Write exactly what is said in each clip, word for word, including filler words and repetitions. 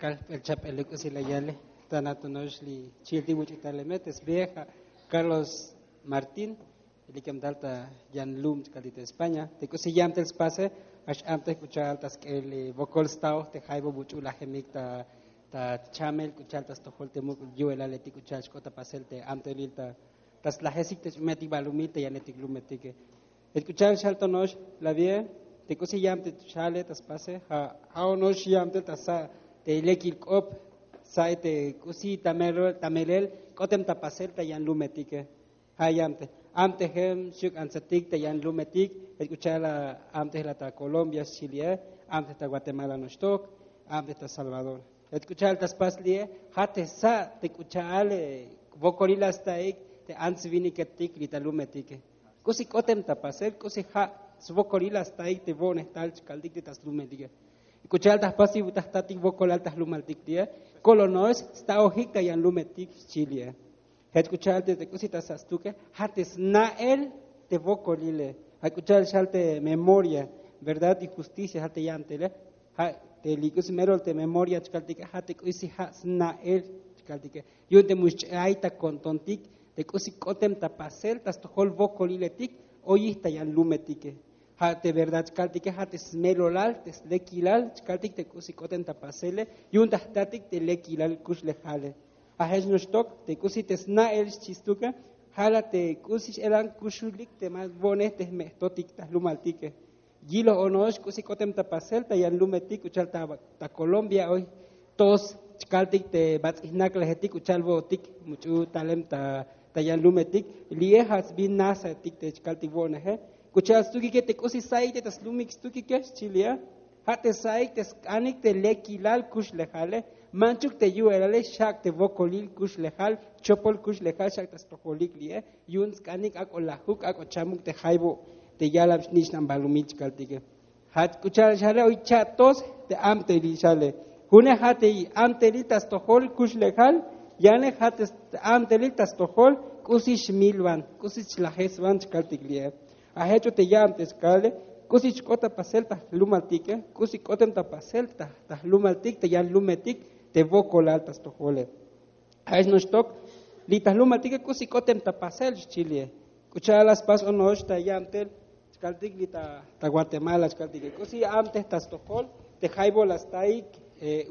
Kal el chap'ele k'usi la yale. Ta natono'ox li chiltik buch'u taleme te sbieja Carlos Martín, likem tal ta yan lum chkaltik te España. Te k'usi yam tel spase, ax amtej k'u cha'al ta sk'el vokol staoj te jaybo buch'u lajemik ta ta chamel k'u cha'al ta stojol te muk' yu'elaletik k'u cha'al xk'ot ta pasel te amtelil ta ta slajesik te ch'umetik balumil te yanetik lumetike. Jech k'u cha'al xal tono'ox, la vie te k'usi yam te xale ta spase ja' ja' ono'ox yam tel ta sa' te lekil k'op, sa' te k'usi ta melel k'otem ta pasel ta yan lumetike. Ja' yam te amtejem xyuk antsatik ta yan lumetik. Jech k'u cha'al amtej la ta Colombia xchi li'e, amtej ta Guatemala noxtok, amtej ta Salvador. Jech k'u cha'al ta spas li'e, ja' te sa' te k'u cha'al vokolil la staik te ants viniketik li ta lumetike. K'usi k'otem ta pasel k'usi ja' svokolil la staik te vo'nej tal chkaltik te ta slumetike. K'u cha'al ta jpasik ta jtatik vokolal ta jlumaltik li'e, kolono'ex staojik ta yan lumetik xchi li'e. Jech k'u cha'al te k'usi ta sa' stuke, ja' te sna'el te vokolile. Ja' k'u cha'al xal te memoria, verdad y justicia ja' te yam tele. Ja' te li k'usi melol te memoria chkaltike, ja' te k'usi ja' sna'el chkaltike. Yu'un te mu xch'ay ta kontontik te k'usi k'otem ta pasel ta stojol vokoliletik oyij ta yan lumetike. Ja' te verdad chkaltike ja' te smelolal te slekilal chkaltik te k'usi k'otem ta pasele. Yu'un ta jtatik te lekilal kuxlejale. Ja' jech noxtok te k'usi te sna'el xchi stuke, ja' la te k'usi x'elan kuxulik te ma vo'nej te jme' jtotik ta jlumaltike. Yiloj ono'ox k'usi k'otem ta pasel ta yan lumetik k'u cha'al ta Colombia oy tos chkaltik te bats'ijnak lajetik k'u cha'al vo'otik much'u talem ta yan lumetik. Li'e ja' sbin nasatik te chkaltik vo'neje. K'u cha'al stukike te k'usi sa'ik te ta slumik stukike xchi li'e, ja' te sa'ik te sk'anik te lekilal kuxlejale. Manchuk te yu'elale xak' te vokolil kuxlejal, chopol kuxlejal xak' ta stojolik li'e. Yu'un sk'anik ak'o lajuk ak'o chamuk te jaybo te yalam xnich'nam balumil chkaltike. Ja' k'u cha'al xale oy cha'tos te amtelil xale. June ja' te amtelil ta stojol kuxlejal, yane ja' te amtelil ta stojol k'usi xmilvan, k'usi xlajesvan chkaltik li'e. Ja' jech o te ya'am te skale k'usi chk'ot ta pasel ta jlumaltike, k'usi k'otem ta pasel ta jlumaltik ta yan lumetik te vokolal ta stojole. Ja' jech noxtok li ta jlumaltike k'usi k'otem ta pasel xchi li'e. K'u cha'al la spas ono'ox ta ya'am tel chkaltik li ta Guatemala chkaltike, k'usi amtej ta stojol te jaybo la staik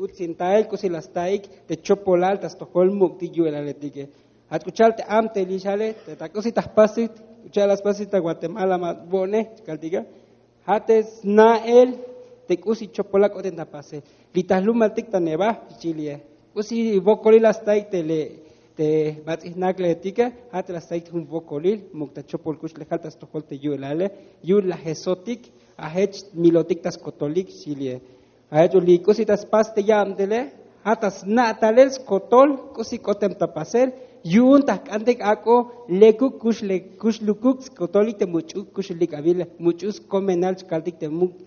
utsintael, k'usi la staik te chopolal ta stojol muk'tik yu'elaletike. Jach k'u cha'al te amtelil xale te ta k'usi ta jpasik, k'u cha'al la spasik ta Guatemala ma vo'nej chkaltike. Ja' te sna'el te k'usi chopolal k'otem ta pasel li ta jlumaltik ta neva xchi li'e. K'usi vokolil la staik te le te bats'ijnak leetike. Ja' te la staik jun vokolil muk' ta chopol kuxlejal ta stojol te yu'elale, yu'un lajesotik. Ja' jech milotik ta skotolik xchi li'e. Ja' jech o li k'usi ta spas te ya'am tele, ja' ta sna' talel skotol k'usi k'otem ta pasel yu'un ta jk'antik ak'o lekuk kuxlukuk skotolik te much'u kuxulik avile, much'u skomenal chkaltik te muk'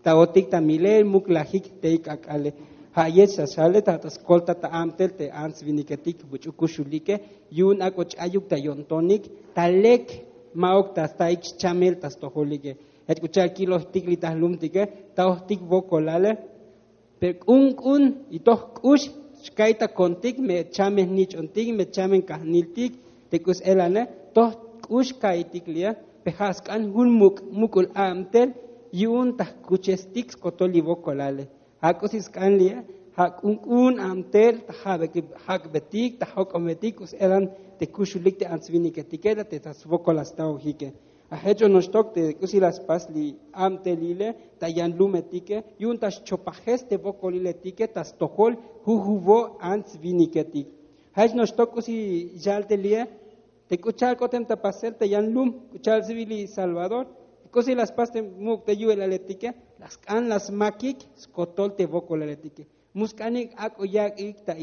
ta otik ta milel muk' lajik teik ak'ale. Ja' yech xa xale ta ta skolta ta amtel te ants viniketik much'u kuxulike, yu'un ak'o ch'ayuk ta yo'ntonik ta lek ma'uk ta staik xchamel ta stojolike. Jech k'u cha'al kilojtik li ta jlumtike, ta ojtik vokolale. Pero k'un k'un y toj k'ux xka'y ta kontik me chamen nich'ontik me chamen kajniltik te k'u s'elane, toj k'ux ka'ytik li'e. Pe ja' sk'an jun muk' muk'ul a'mtel yu'un ta jkuchestik skotol li vokolale. Ja' k'usi sk'an li'e, ja' k'un k'un a'mtel ta jak'betik ta jok'ometik k'u s'elan te kuxulik te ants viniketike te ta svokol la staojike. Ja' jech o noxtok te k'usi la spas li a'mtelile ta yan lumetike yu'un ta xchopajes te vokoliletike ta stojol jujuvo' ants viniketik. Ja' jech noxtok k'usi xal te li'e, te k'u cha'al k'otem ta pasel ta yan lum, k'u cha'al svil li Salvador, k'usi la spas te muk' te yu'elaletike, la sk'an la smakik skotol te vokolaletike. Mu sk'anik ak'o yak'ik ta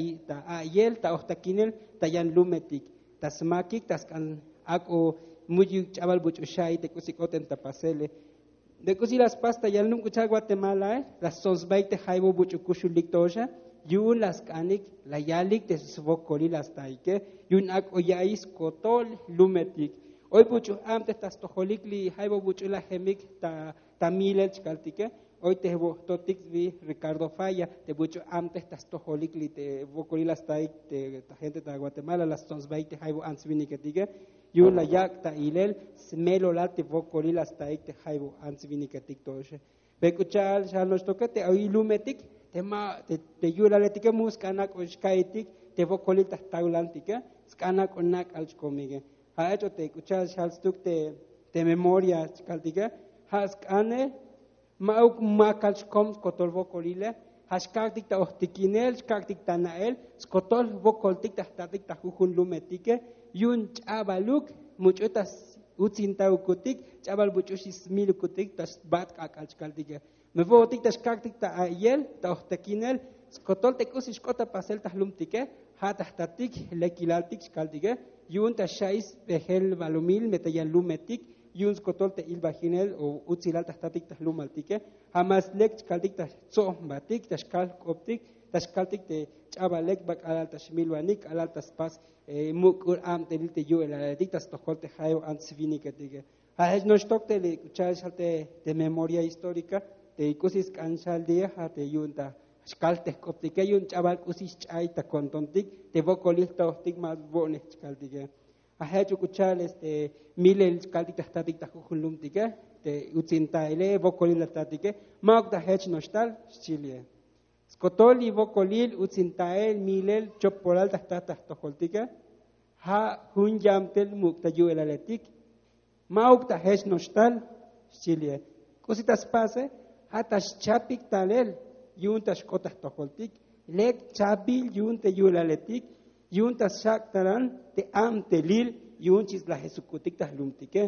a'yel ta ojtakinel ta yan lumetik, ta smakik ta sk'an ak'o muyuk ch'abal buch'u xa'i te k'usi k'otem ta pasele. Te k'usi la spas ta yan lum k'u cha'al Guatemalae, la stsonsbaik te jaybo buch'u kuxulik toxa, yu'un la sk'anik la yalik te svokolil la staike, yu'un ak'o ya'iy skotol lumetik. Oy buch'u amtej ta stojolik li jaybo buch'u lajemik ta ta milel chkaltike. Oy te vojtotik vi Ricardo Falla te buch'u amtej ta stojolik li te vokolil la staik te ta gente ta Guatemala la stsonsbaik te jaibo ants viniketike. Yu'un la yak' ta ilel smelolal te vokolil la staik te jaibo ants viniketik to'oxe. Pe k'u cha'al xal noxtoke te oy lumetik te ma te yu'laletike mu sk'an ak'o xka'itik te vokolil ta jtaulantike. Sk'an ak'o nak'al chkomike. Ja' ech'o te k'u cha'al xal stuk te memoria chkaltike. Ja' sk'ane ma'uk makal xkom skotol vokolile. Ja' xkak'tik ta ojtikinel xkak'tik ta na'el skotol vokoltik ta jtatik ta jujun lumetike. Yu'un ch'abaluk much'u ta utsintaukutik ch'abal much'u xismilukutik ta xbat k'ak'al chkaltike. Me vo'otik ta xkak'tik ta a'iyel ta ojtikinel skotol te k'usi xk'ot ta pasel ta jlumtike. Ja' ta jtatik lekilaltik chkaltike. Yu'un ta xa'is bejel balumil me ta yan lumetik yu'un skotol te ilbajinel o utsilal ta jtatik ta jlumaltike. Ja' mas lek chkaltik ta jtso'nbatik ta xkal jk'optik ta xkaltik te ch'abal lek ba k'alal ta xmilvanik k'alal ta spas muk'ul abtelil te yu'elaletik ta stojol te jayeb ants viniketike. Ja' jech noxtok te li k'u cha'al xal te memoria histórica te k'usi sk'an xal li'e ja' te yu'un ta xkal te jk'optike yu'un ch'abal k'usi xch'ay ta kontontik te vokolil jtaojtik ma vo'nej chkaltike. Ja' jech u k'u cha'al este milel chkaltik ta jtatik ta jujun lumtike te utsintaile vokolil la tatike. Ma'uk ta jech noxtal xchi li'e. Skotol li vokolil utsintael milel chopolal ta jtat ta jtojoltike. Ja' jun yamtel muk' ta yu'elaletik. Ma'uk ta jech noxtal xchi li'e. K'usi ta spase ja' ta xchapik talel yu'un ta xk'ot ta jtojoltik. Lek chapil yu'un te yu'elaletik yu'un ta xak' talan te abtelil yu'un chi slajesukutik ta jlumtike.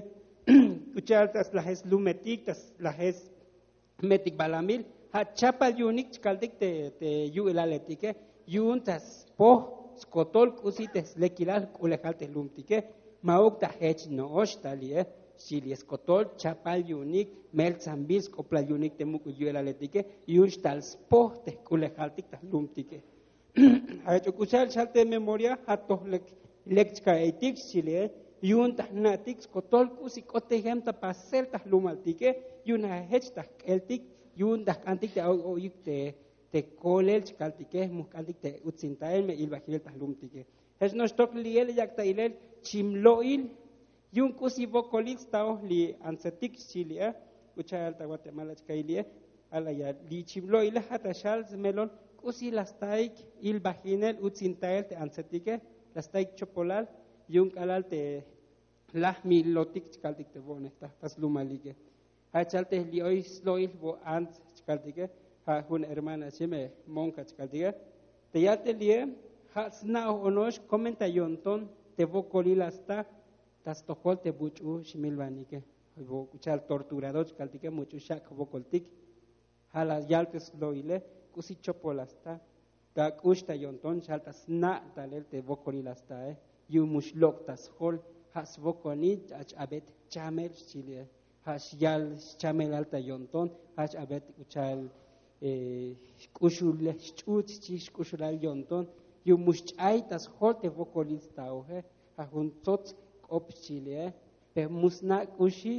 K'u cha'al ta slajes lumetik ta slajes metik balamil ja' chapal yu'unik chkaltik te yu'elaletike. Yu'un ta spoj skotol k'usi te slekilal jk'ulejal te jlumtike. Ma'uk ta jech no'ox ta li'e. Xchi li'e skotol chapal yu'unik meltsanbil sk'oplal yu'unik te muk'ul yu'elaletike yu'un xtal spoj te jk'ulejaltik ta jlumtike. Ja' jech u k'u cha'al xal te memoria ja' toj lek lek chka'iytik xchi li'e. Yu'un ta jna'tik skotol k'usi k'ot tejem ta pasel ta jlumaltike. Yu'un ja' jech ta jk'eltik yu'un ta jk'antik te oy oyik te kolel chkaltike mu jk'antik te utsintael me ilbajinel ta jlumtike. Jech noxtok li'e la yak' ta ilel chim lo'il. Yu'un k'usi vokolil staoj li antsetik xchi li'e. K'u cha'al ta guatemala chka'i li'e. Alaya li chim lo'ile ja' ta xal smelol k'usi la staik ilbajinel utsintael te antsetike. La staik chopolal yu'un k'alal te laj milotik chkaltik te vo'nej ta slumalike. Ja' chal te li oy slo'il vo ants chkaltike. Ja' jun hermana xi me monka chkaltike te yal te li'e ja' sna'oj ono'ox komen ta yo'nton te vokolil la sta ta stojol te buch'u xmilvanike. Vo k'u cha'al torturador chkaltike much'u xak' jvokoltik. Ja' la yal te slo'ile k'usi chopol la sta ta k'ux ta yo'nton xal ta sna' talel te vokolil la stae. Yu'un mu xlok' ta sjol ja' svokonil ja' ch-abet chamel xchi li'e. Ja' xyal xchamelal ta yo'nton ja' ch-abet k'u cha'al xk'uxul xch'ut xchi xk'uxulal yo'nton. Yu'un mu xch'ay ta sjol te vokolil staoje. Ja' jun tsots k'op xchi li'e. Pe mu sna' k'uxi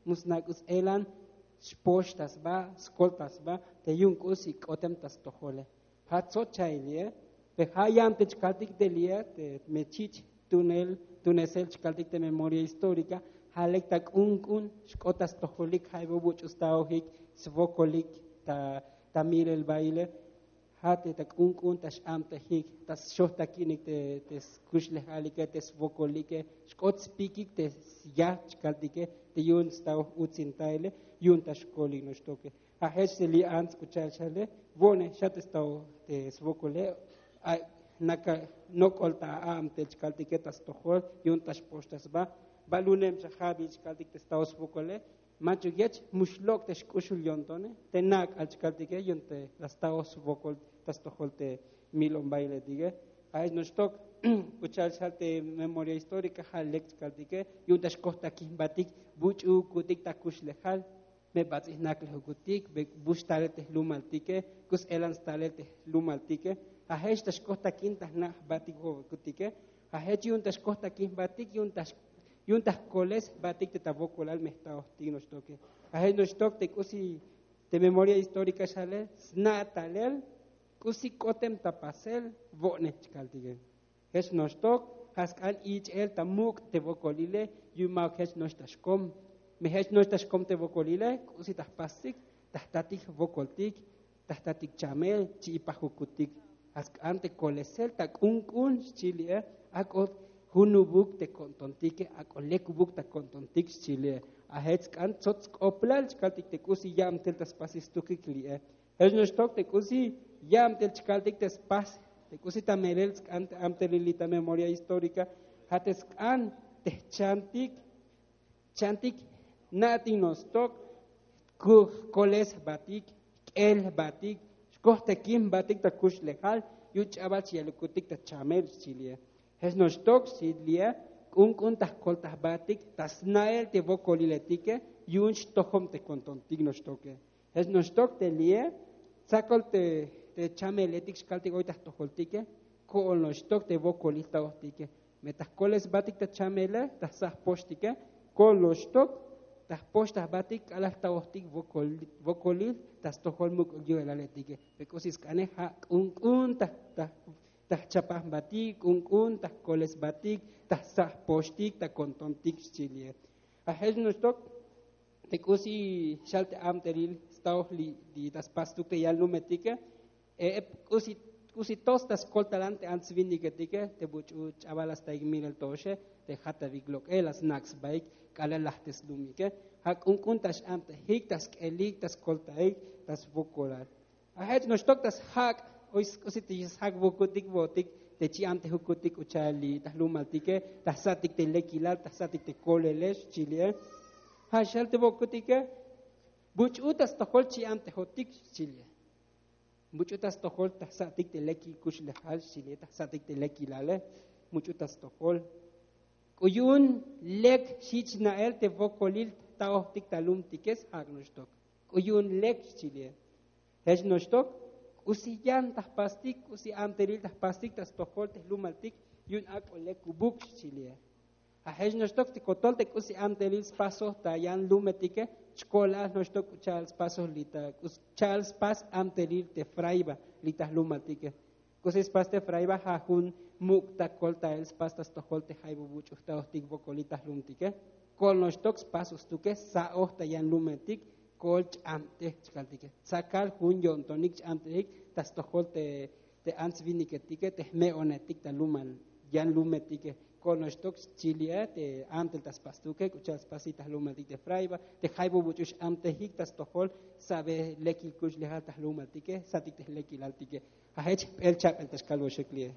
mu sna' k'u s'elan xpox ta sba skol ta sba te yu'un k'usi k'otem ta stojole. Ja' tsoch cha'il li'e. Pe ja' yam te chkaltik te li'e te me chich' tunesel chkaltik te memoria histórica. Ja' lek ta k'unk'un xk'ot ta stojolik ja' vo buch'u staojik svokolik ta milel baile. Ja' te ta k'unk'un ta x'abtejik ta xojtakinik te skuxlejalike te svokolike xk'ot spikik te syaj chkaltike te yu'un staoj utsintaile. Yu'un ta xkolik noxtoke. Ja' jech te li ants k'u cha'al xale vo'nej xa te staoj te svokole. Naka nok'ol ta a'abtel chkaltike ta stojol yu'un ta xpox ta sba. Baluneb xa jabil chkaltik te staoj svokole. Manchuk yech mu xlok' te xk'uxul yo'ntone te nak'al chkaltike yu'un te la staoj svokol ta stojol te milon bailetike. Ja' jech noxtok k'u cha'al xal te memoria histórica ja' lek chkaltike yu'un ta xkojtakijbatik buch'ukutik ta kuxlejal. Me bats'ij naklej ukutik bux talel te jlumaltike. K'u s'elan stalel te jlumaltike. Ja' jech ta xkojtakin ta jna' jbatik vokotike. Ja' jech yu'un ta xkojtakin jbatik yu'un ta jkoles jbatik te ta vokolal me jtaojtik noxtoke. Ja' jech noxtok te k'usi Te memoria historika xale sna' talel k'usi k'otem ta pasel vo'ne chkaltike. Jech noxtok ja' sk'an ich'el ta muk' te vokolile. Yu'un ma'uk jech noxta xkom. Me jech noxta xkom te vokolile k'usi ta jpastik ta jtatik vokoltik, ta jtatik chamel chi'ipaj jukutik. Ja' sk'an te kolesel ta k'unk'un xchi li'e. Ak'o junubuk te ko'ntontike, ak'o lekubuk ta ko'ntontik xchi li'e. A jech sk'an tsots sk'oplal chkaltik te k'usi ya'mtel ta spasistukik li'e. Jech noxtok te k'usi ya'mtel chkaltik te spas te k'usi ta melel sk'an te amtelil li' ta memoria historika. Ja' te sk'an te jchantik, chantik na'tik noxtok. Kuj koles jbatik, jk'el jbatik, xkoj tekin jbatik ta kuxlejal. Yu'un ch'abal chi yalukutik ta chamel xchi li'e. Jech noxtok xchi li'e, k'unk'un ta jkoltajbatik ta sna'el te vokoliletike. Yu'un xtojob te ko'ntontik noxtoke. Jech noxtok te li'e tsakol te chameletik xkaltik oy ta jtojoltike. Ko'ol noxtok te vokolil jtaojtike. Me ta jkolesbatik ta chamele ta jsa' jpoxtike, ko'ol noxtok ta jpoxta jbatik k'alal jtaojtik vokolil ta stojol muk' yu'elaletike. Pe k'usi sk'ane ja' k'unk'un ta ta jchapaj jbatik, k'unk'un ta jkolesbatik ta jsa' jpoxtik ta ko'ntontik xchi li'e. A jech noxtok te k'usi xal te amtelil staoj li ta spastuk te yan lumetike. K'usi tos ta skoltalan te ants viniketike te buch'u ch'abal la staik milel toxe te jatavik lok'el la snak' sbaik k'alal laj te slumike. Ja' k'unk'un ta x'amtejik ta sk'elik ta skoltaik ta svokolal. A jech noxtok ta sjak' oy k'usi te sjak' vokutik vo'otik te chi'amtejukutik k'u cha'al li ta jlumaltike ta jsa'tik te lekilal ta jsa'tik te kolelex xchi li'e. Ja' xal te vokutike buch'u ta stojol chi'amtejotik xchi li'e. Buch'u ta stojol ta jsa'tik te lekil kuxlejal xchi li'e ta jsa'tik te lekilale. Buch'u ta stojol k'u yu'un lek xich na'el te vokolil jtaojtik ta lumtike sjak' noxtok. K'u yu'un lek xchi li'e. Jech noxtok k'usi yan ta jpastik k'usi amtelil ta jpastik ta stojol te jlumaltik. Yu'un ak'o lekubuk xchi li'e. A jech noxtok te kotol te k'usi amtelil spasoj ta yan lumetike chkolal noxtok k'u cha'al spasoj li ta k'u cha'al spas amtelil te fraiba li ta jlumaltike. K'usi spas te fraiba ja' jun muk' ta koltael spas ta stojol te jaybu buch'u jtaojtik vokolil ta jlumtike. Ko'ol noxtok spasoj stuke sa'oj ta yan lumetik. Ko'ol ch'amtej chkaltike tsakal jun yo'ntonik ch'amtejik ta stojol te ants viniketike te jme'onetik ta lumal yan lumetike. Ko'ol noxtok xchi li'e te amtel ta spastuke k'u cha'al spasik ta jlumaltik te fraiba te jaybu buch'u x'amtejik ta stojol sabe lekil kuxlejal ta jlumaltike jsa'tik te jlekilaltike. A jech jp'el chak'el ta xkalvoxik li'e.